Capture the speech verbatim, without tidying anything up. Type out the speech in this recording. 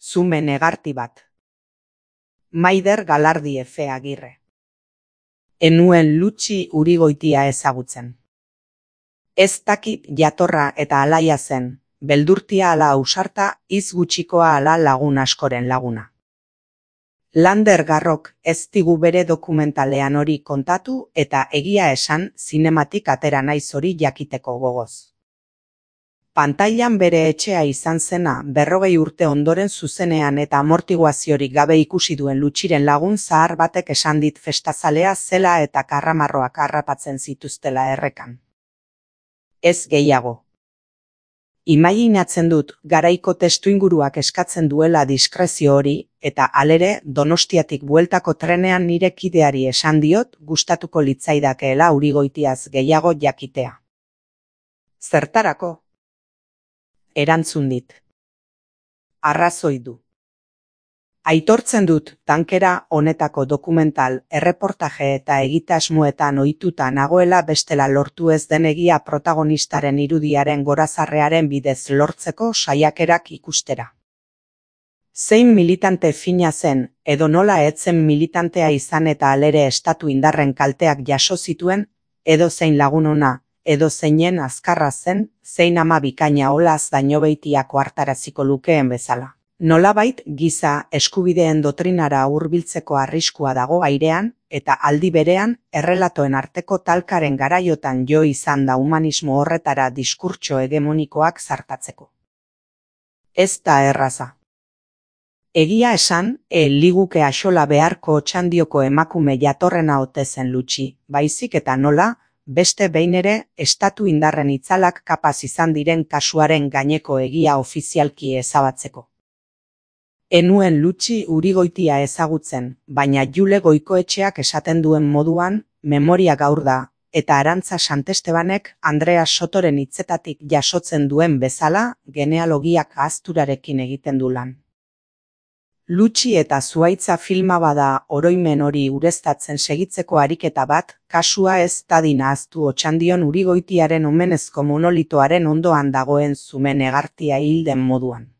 Zume negarti bat. Maider Galardi Efe Agirre. Enuen Lutxi Urigoitia ezagutzen. Ez dakit jatorra eta alaia zen, beldurtia ala ausarta, iz gutxikoa ala lagun askoren laguna. Lander Garrok ez digu bere dokumentalean hori kontatu eta egia esan zinematik atera naiz hori jakiteko gogoz. Pantailan bere etxea izan zena berrogei urte ondoren zuzenean eta amortiguaziorik gabe ikusi duen Lutxiren lagun zahar batek esan dit festazalea zela eta karramarroak harrapatzen zituztela errekan. Ez gehiago. Imaginatzen dut garaiko testuinguruak eskatzen duela diskrezio hori eta halere Donostiatik bueltako trenean nire kideari esan diot gustatuko litzaidakeela Urigoitiaz gehiago jakitea. Zertarako? Erantzun dit. Arrazoi du. Aitortzen dut tankera honetako dokumental, erreportaje eta egitasmoetan ohituta nagoela bestela lortu ez den egia protagonistaren irudiaren gorazarrearen bidez lortzeko saiakerak ikustera. Zein militante fina zen, edo nola etzen militantea izan eta alere estatu indarren kalteak jaso zituen, edo zein lagun ona, edo zeinen azkarra zen, zein ama bikaina olaz dainobeitiako hartaraziko lukeen bezala. Nolabait giza eskubideen doktrinara hurbiltzeko arriskua dago airean, eta aldi berean errelatoen arteko talkaren garaiotan jo izan da humanismo horretara diskurtso hegemonikoak zartatzeko. Ez da erraza. Egia esan, e liguke axola beharko otxandioko emakume jatorrena ote zen Lutxi, baizik eta nola, beste behin ere, estatu indarren itzalak kapaz izan diren kasuaren gaineko egia ofizialki ezabatzeko. Enuen Lutxi Urigoitia ezagutzen, baina Jule Goikoetxeak esaten duen moduan, memoria gaur da, eta Arantza Santestebanek Andrea Sotoren hitzetatik jasotzen duen bezala, genealogiak ahazturarekin egiten du lan. Lutxi eta Zuhaitza filma bada oroimen hori ureztatzen segitzeko ariketa bat, kasua ez dadin ahaztu Otxandion Urigoitiaren omenezko monolitoaren ondoan dagoen zume negartia hilden moduan.